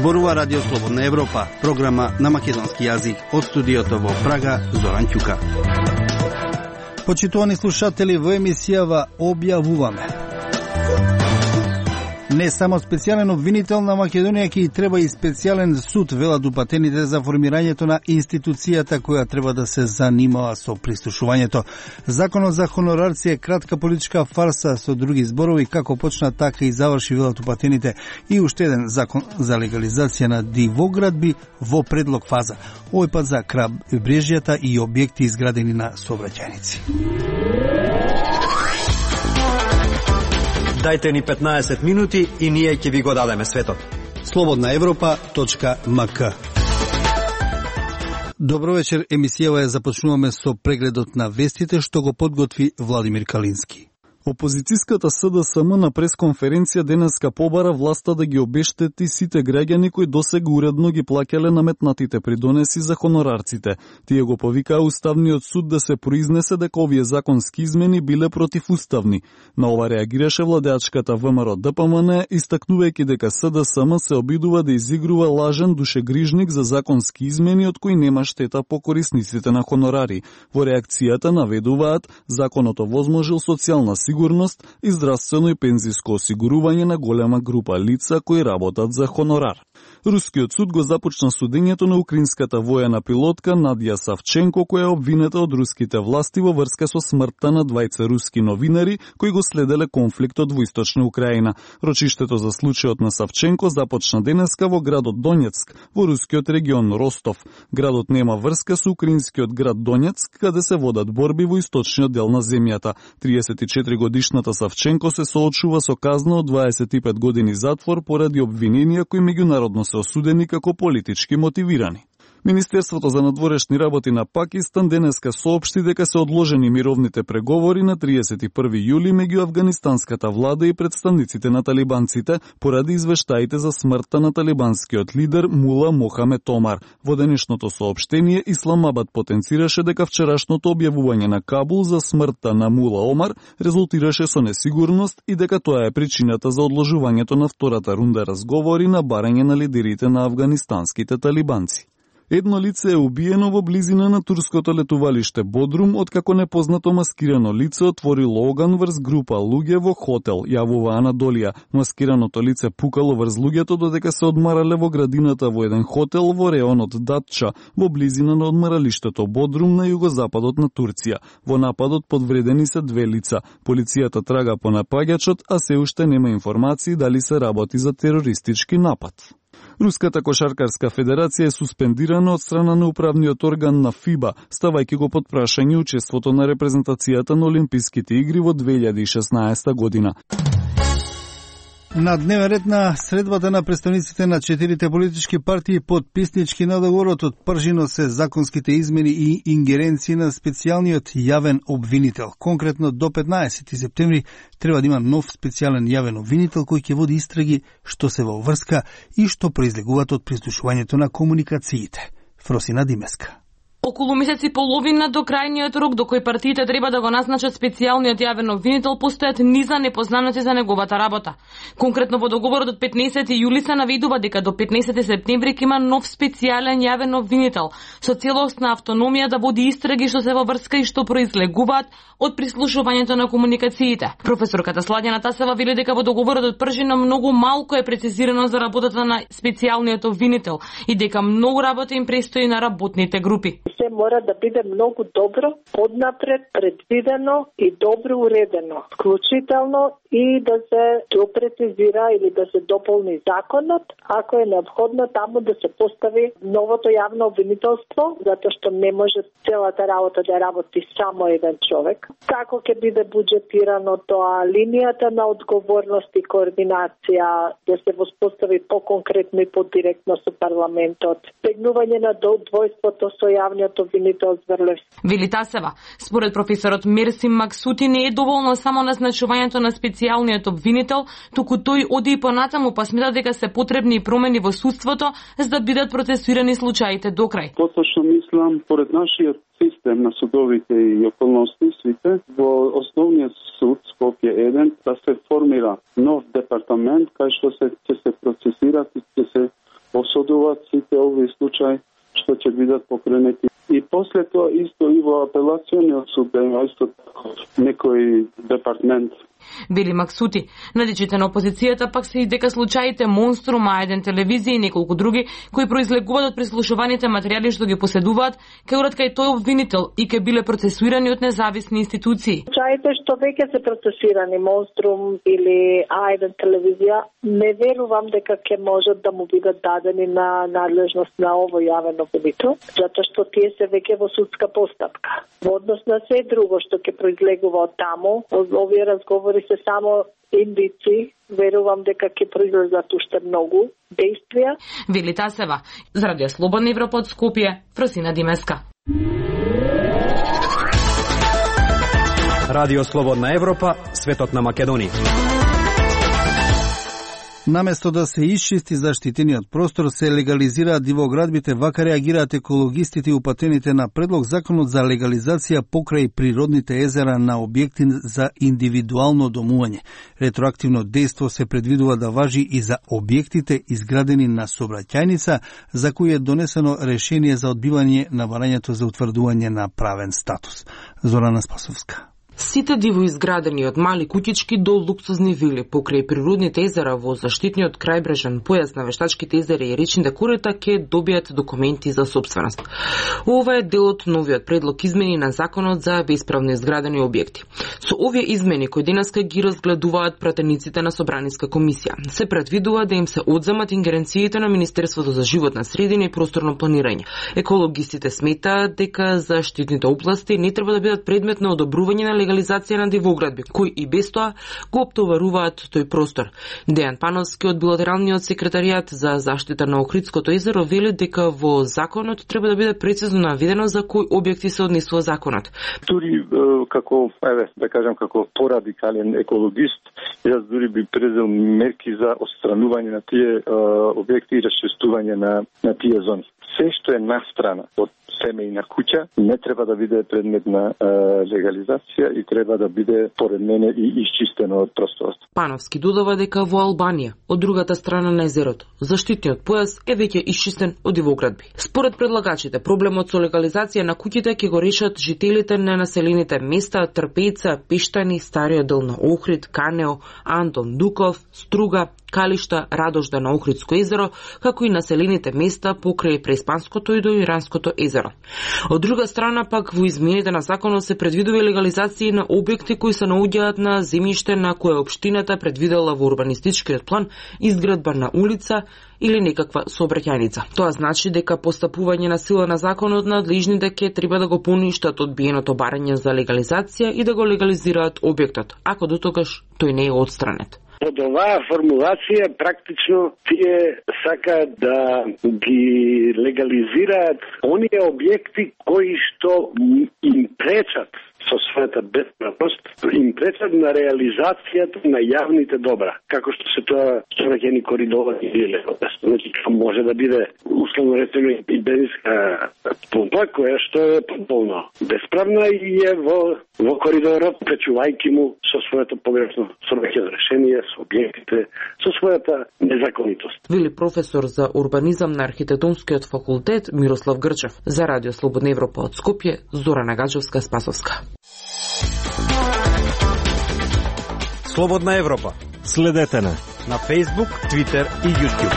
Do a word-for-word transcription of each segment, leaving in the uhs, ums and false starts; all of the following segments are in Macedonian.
Зборува Радио Слободна Европа, програма на македонски јазик од студиото во Прага, Зоран Ќука. Почитувани слушатели, во емисијава објавуваме: не само специјален обвинител на Македонија, ќе и треба и специјален суд, велат упатените за формирањето на институцијата која треба да се занимава со прислушувањето. Законот за хонорарци е кратка политичка фарса, со други зборови, како почна така и заврши, велат упатените, и уште еден закон за легализација на дивоградби во предлог фаза. Овој пат за крабрежјата и објекти изградени на сообраќајници. Дајте ни петнаесет минути и ние ќе ви го дадеме светот. слободна европа точка ем ка. Добро вечер, емисијава ја започнуваме со прегледот на вестите што го подготви Владимир Калински. Опозицијската С Д С М на пресконференција денеска побара власта да ги обештети сите граѓани кои досега уредно ги плаќале наметнатите придонеси за хонорарците. Тие го повикаа Уставниот суд да се произнесе дека овие законски измени биле противуставни. На ова реагираше владеачката В М Р Д П М Н, истакнувајќи дека С Д С М се обидува да изигрува лажен душегрижник за законски измени од кои нема штета по корисниците на хонорари. Во реакцијата наведуваат законот овозможил социјална сигурност и здравствено и пензиско осигурување на голема група лица кои работат за хонорар. Рускиот суд го започна судењето на украинската воена пилотка Надја Савченко, која е обвинета од руските власти во врска со смртта на двајца руски новинари кои го следеле конфликтот во источна Украина. Рочиштето за случајот на Савченко започна денеска во градот Донецк, во рускиот регион Ростов. Градот нема врска со украинскиот град Донецк, каде се водат борби во источниот дел на земјата. триесет и четири годишната Савченко се соочува со казна од дваесет и пет години затвор поради обвиненија кои меѓународно се осудени како политички мотивирани. Министерството за надворешни работи на Пакистан денеска соопшти дека се одложени мировните преговори на триесет и први јули меѓу афганистанската влада и представниците на талибанците поради извештаите за смртта на талибанскиот лидер Мула Мохамед Омар. Во денешното соопштение Исламабад потенцираше дека вчерашното објавување на Кабул за смртта на Мула Омар резултираше со несигурност и дека тоа е причината за одложувањето на втората рунда разговори на барање на лидерите на афганистанските талибанци. Едно лице е убиено во близина на турското летувалиште Бодрум, откако непознато маскирано лице отворило оган врз група луѓе во хотел, јавува Анадолија. Маскираното лице пукало врз луѓето додека се одмарале во градината во еден хотел во реонот Датча, во близина на одмаралиштето Бодрум на југозападот на Турција. Во нападот подвредени се две лица. Полицијата трага по напаѓачот, а се уште нема информации дали се работи за терористички напад. Руската кошаркарска федерација е суспендирана од страна на управниот орган на ФИБА, ставајќи го под прашање учеството на репрезентацијата на Олимписките игри во две илјади и шеснаесета година. На дневен ред на средбата на представниците на четирите политички партии подписнички на договорот од пржино се законските измени и ингеренции на специјалниот јавен обвинител. Конкретно до петнаесети септември треба да има нов специјален јавен обвинител кој ќе води истраги што се во врска и што произлегуваат од прислушувањето на комуникациите. Фросина Димеска. Околу месец и половина до крајниот рок до кој партиите треба да го назначат специјалниот јавен обвинител постојат низа непознаници за неговата работа. Конкретно во договорот од петнаесети јули се наведува дека до петнаесети септември ќе има нов специјален јавен обвинител со целосна автономија да води истраги што се во врска и што произлегуваат од прислушувањето на комуникациите. Професорката Сладјана Тасева вели дека во договорот од пржина многу малку е прецизирано за работата на специјалниот обвинител и дека многу работа им престои на работните групи. Се мора да биде многу добро, поднапред, предвидено и добро уредено, вклучително и да се допрецизира или да се дополни законот, ако е необходно таму да се постави новото јавно обвинителство, затоа што не може целата работа да работи само еден човек. Како ќе биде буџетирано тоа, линијата на одговорност и координација да се воспостави по-конкретно и по-директно со парламентот, стегнување на двојството со јавниот обвинител Зврлевски. Вели Тасева, според професорот Мерсим Максути не е доволно само назначувањето на специјалниот обвинител, туку тој оди и понатаму, па смета дека се потребни промени во судството за да бидат процесуирани случаите до крај. Поточно мислам, поред нашиот систем на судовите и околности сите, во основниот суд Скопје еден да се формира нов департамент кај што се ќе се процесират и ќе се осудуваат сите овие случаи што ќе бидат покренети. И после тоа исто и во апелациониот суд да има исто така некој департмент. Вели Максути. Надичите на опозицијата пак се и дека случаите Монструм, А еден телевизија и неколку други кои произлегуваат од прислушуваните материјали што ги поседуваат, ќе урат кај тој обвинител и ќе биле процесуирани од независни институции. Случаите што веќе се процесирани Монструм или А еден телевизија, не верувам дека ќе можат да му бидат дадени на надлежност на овој јавен обвинител, затоа што тие се веќе во судска постапка. Во однос на се друго што ќе произлегува од таму, овие разговори се само индици, верувам дека ќе произлезат уште многу действија. Вели Тасева. За Радио Слободна Европа од Скопје, Фросина Димеска. Радио Слободна Европа, светот на Македонија. Наместо да се исчисти заштитениот простор, се легализираат дивоградбите, вака реагираат екологистите и упатените на предлог законот за легализација покрај природните езера на објекти за индивидуално домување. Ретроактивно дејство се предвидува да важи и за објектите изградени на сообраќајница, за кои е донесено решение за одбивање на барањето за утврдување на правен статус. Зорана Спасовска. Сите дивоизградени од мали куќички до луксузни вили покрај природните езера во заштитниот крајбрежен појас на вештачките езера и речните корита ќе добијат документи за собственост. Ова е дел од новиот предлог измени на законот за бесправно изградени објекти. Со овие измени кои денеска ги разгледуваат пратениците на Собраниска комисија, се предвидува да им се одземат ингеренциите на Министерството за животна средина и просторно планирање. Екологистите сметаат дека заштитните области не треба да бидат предмет на одобрување на легализација на дивоградби, кои и без тоа го оптоваруваат тој простор. Дејан Пановски од билатералниот секретаријат за заштита на Охридското езеро вели дека во законот треба да биде прецизно наведено за кои објекти се однесува законот. Дури како, еве, да кажам, како порадикален екологист, јас дури би презел мерки за отстранување на тие објекти и расчистување на, на тие зони. Се што е настрана од семејна куќа не треба да биде предмет на е, легализација и треба да биде поред мене и исчистено од просторот. Пановски додава дека во Албанија, од другата страна на езерото, заштитниот појас е веќе исчистен од дивоградби. Според предлагачите, проблемот со легализација на куќите ќе го решат жителите на населените места Трпејца, Пештани, Стариот дел на Охрид, Канео, Антон Дуков, Струга, Калишта, Радожда на Охридско езеро, како и населените места покрај Преспанското и до Иранското езеро. Од друга страна пак во измените на законот се предвидува легализација на објекти кои се наоѓаат на земјиште на кое општината предвидела во урбанистичкиот план изградба на улица или некаква сообраќајница. Тоа значи дека постапување на сила на законот надлежните ќе треба да го поништат одбиеното барање за легализација и да го легализираат објектот, ако дотогаш тој не е отстранет. Под оваа формулација практично тие сакаат да ги легализираат оние објекти кои што им пречат со својата бесправност, им пречат на реализацијата на јавните добра, како што се тоа сообраќајни коридори или значи може да биде условно речено и бензинска помпа која што е полно бесправна и е во во коридорот, пречувајќи му со своето погрешно сообраќајно решение, со објектите, со својата незаконитост. Вели професор за урбанизам на архитектонскиот факултет Мирослав Грчев. За Радио Слободна Европа од Скопје, Зорана Гаджевска-Спасовска. Слободна Европа. Следете на на Facebook, Twitter и YouTube.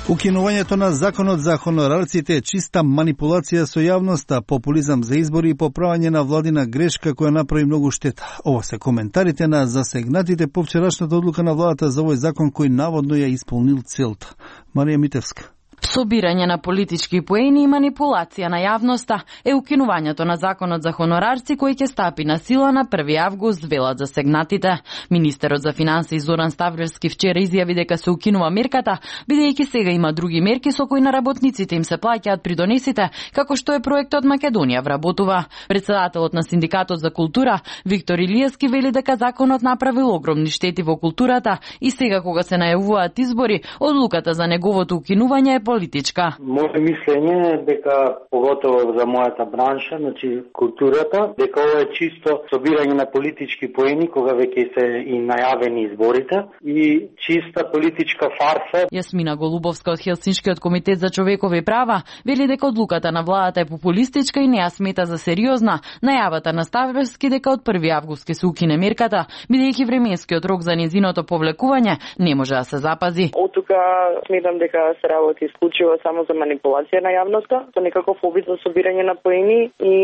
Укинувањето на законот за хонорарците е чиста манипулација со јавноста, популизам за избори и поправање на владина грешка која направи многу штета. Ово се коментарите на засегнатите по вчерашната одлука на владата за овој закон кој наводно ја исполнил целта. Марија Митевска. Собирање на политички поени и манипулација на јавноста е укинувањето на законот за хонорарци кој ќе стапи на сила на први август, велат засегнатите. Министерот за финансии Зоран Ставревски вчера изјави дека се укинува мерката, бидејќи сега има други мерки со кои на работниците им се плаќаат придонесите, како што е проектот Македонија вработува. Председателот на Синдикатот за култура Виктор Илиевски вели дека законот направил огромни штети во културата и сега кога се најавуваат избори, одлуката за неговото укинување е политичка. Моето мислење е дека поготово за мојата бранша, значи културата, дека ова е чисто собирање на политички поени кога веќе се и најавени изборите и чиста политичка фарса. Јасмина Голубовска од Хелсиншкиот комитет за човекови права вели дека одлуката на владата е популистичка и не ја смета за сериозна. Најавата на Ставровски дека од први август ќе се укине мерката, бидејќи временскиот рок за нејзиното повлекување не може да се запази. Од тука сметам дека се работи исклучиво само за манипулација на јавноста, со некаков обид за собирање на поени и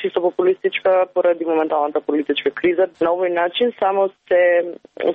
чисто популистичка поради моменталната политичка криза. На овој начин само се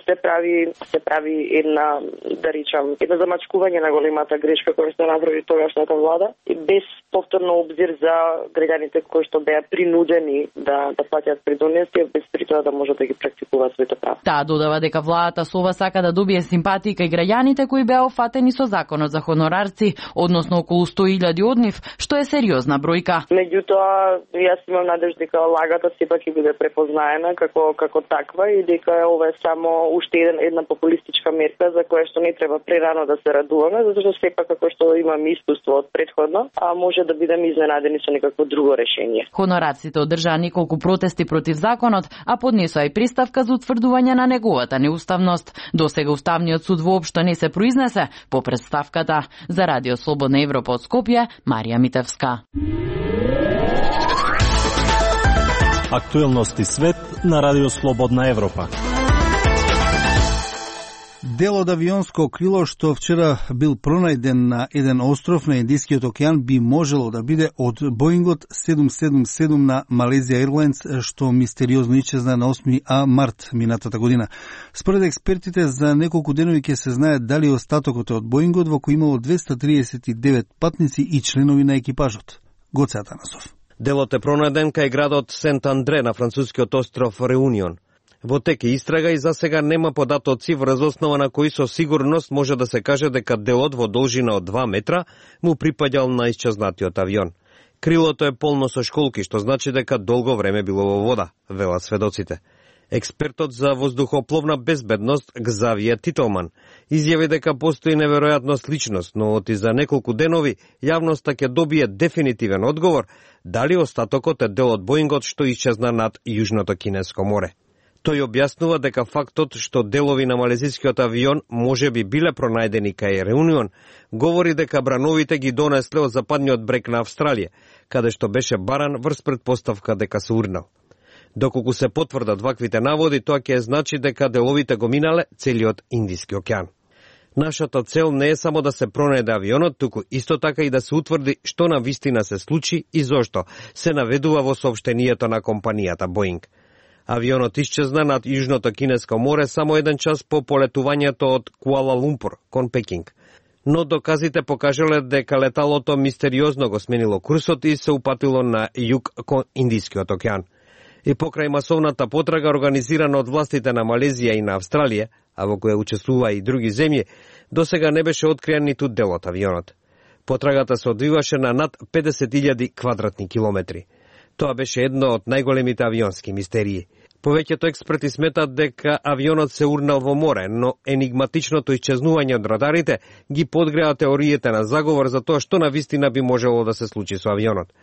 се прави се прави една, да речам, една замачкување на големата грешка која што направи тогашната влада и без повторно обзир за граѓаните кои што беа принудени да да платят придонеси, без при тоа да можат да ги практикуваат своите права. Таа додава дека владата со ова сака да добие симпатии кај граѓаните кои беа офатени со законот за хонорарци, односно околу сто илјади од нив, што е сериозна бројка. Меѓутоа, јас имам надежда дека лагата сепак ќе биде препознаена како како таква и дека ова е само уште една популистичка мерка за која што не треба прерано да се радуваме, затоа што сепак како што имаме искуство од претходно, а може да бидеме изненадени со некакво друго решение. Хонорарците одржаа неколку протести против законот, а поднесоа и приставка за утврдување на неговата неуставност. Досега Уставниот суд воопшто не се произнесе по представката. За Радио Слободна Европа од Скопје, Марија Митевска. Актуелности свет на Радио Слободна Европа. Дел од авионско крило што вчера бил пронајден на еден остров на Индискиот океан би можело да биде од Боингот седум седум седум на Malaysia Airlines, што мистериозно исчезна на осми март минатата година. Според експертите, за неколку денови ќе се знае дали остатокот е од Боингот, во кој имало двеста триесет и девет патници и членови на екипажот. Гоце Атанасов. Делот е пронајден кај градот Сент Андре на францускиот остров Реунион. Во тек е истрага и засега нема податоци врз основа на кои со сигурност може да се каже дека делот во должина од два метра му припаѓал на исчезнатиот авион. Крилото е полно со школки, што значи дека долго време било во вода, велат сведоците. Експертот за воздухопловна безбедност Гзавије Тителман изјави дека постои неверојатно сличност, но оти за неколку денови јавноста ќе добие дефинитивен одговор дали остатокот е дел од Боингот што исчезна над Јужното Кинеско море. Тој објаснува дека фактот што делови на малезискиот авион може би биле пронајдени кај Реунион, говори дека брановите ги донесле од западниот брег на Австралија, каде што беше баран врз предпоставка дека се урнал. Доколку се потврдат ваквите наводи, тоа ќе значи дека деловите го минале целиот Индиски океан. Нашата цел не е само да се пронајде авионот, туку исто така и да се утврди што на вистина се случи и зошто, се наведува во соопштението на компанијата Боинг. Авионот исчезна над Јужното Кинеско море само еден час по полетувањето од Куала Лумпур кон Пекинг. Но доказите покажале дека леталото мистериозно го сменило курсот и се упатило на југ кон Индискиот океан. И покрај масовната потрага организирана од властите на Малезија и на Австралија, а во која учествува и други земји, досега не беше откриен ниту дел од авионот. Потрагата се одвиваше на над педесет илјади квадратни километри. Тоа беше едно од најголемите авионски мистерии. Повеќето експерти сметат дека авионот се урнал во море, но енигматичното исчезнување од радарите ги подгреа теориите на заговор за тоа што на вистина би можело да се случи со авионот.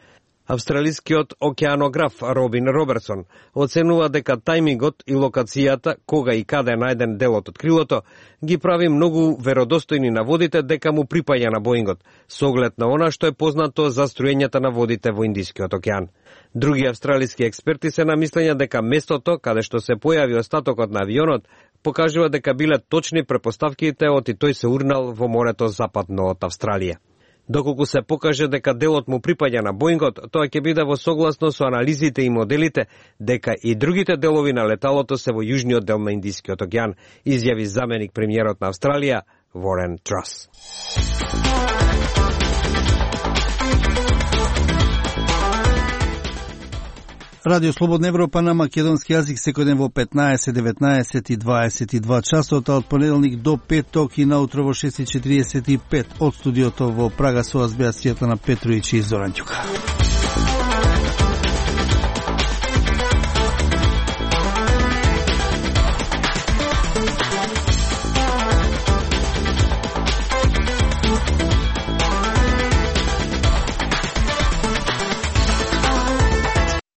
Австралискиот океанограф Робин Робертсон оценува дека тајмингот и локацијата, кога и каде е најден делот од крилото, ги прави многу веродостојни наводите дека му припаѓа на Боингот, со оглед на она што е познато за струењата на водите во Индискиот океан. Други австралиски експерти се на мислење дека местото каде што се појави остатокот на авионот покажува дека биле точни препоставките оти тој се урнал во морето западно од Австралија. Доколку се покаже дека делот му припаѓа на Боингот, тоа ќе биде во согласно со анализите и моделите дека и другите делови на леталото се во јужниот дел на Индискиот океан, изјави заменик премиерот на Австралија Ворен Трас. Радио Слободна Европа на македонски јазик секој ден во петнаесет, деветнаесет и дваесет и два часот, од понеделник до петок и наутро во шест и четириесет и пет од студиото во Прага со вас беа Светлана Петровиќ и Зоран Ѓука.